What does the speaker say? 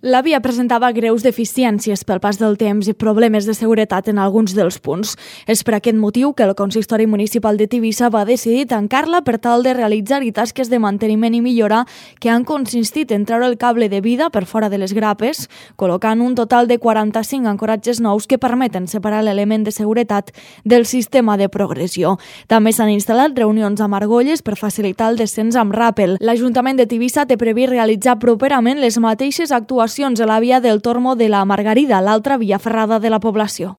La via presentava greus deficiències pel pas del temps i problemes de seguretat en alguns dels punts. És per aquest motiu que el Consistori Municipal de Tivissa va decidir tancar-la per tal de realitzar-hi tasques de manteniment i millora que han consistit en treure el cable de vida per fora de les grapes, col·locant un total de 45 ancoratges nous que permeten separar l'element de seguretat del sistema de progressió. També s'han instal·lat reunions amb argolles per facilitar el descens amb ràpel. L'Ajuntament de Tivissa té previst realitzar properament les mateixes actuacions a la via del Tormo de la Margarida, l'altra via ferrada de la població.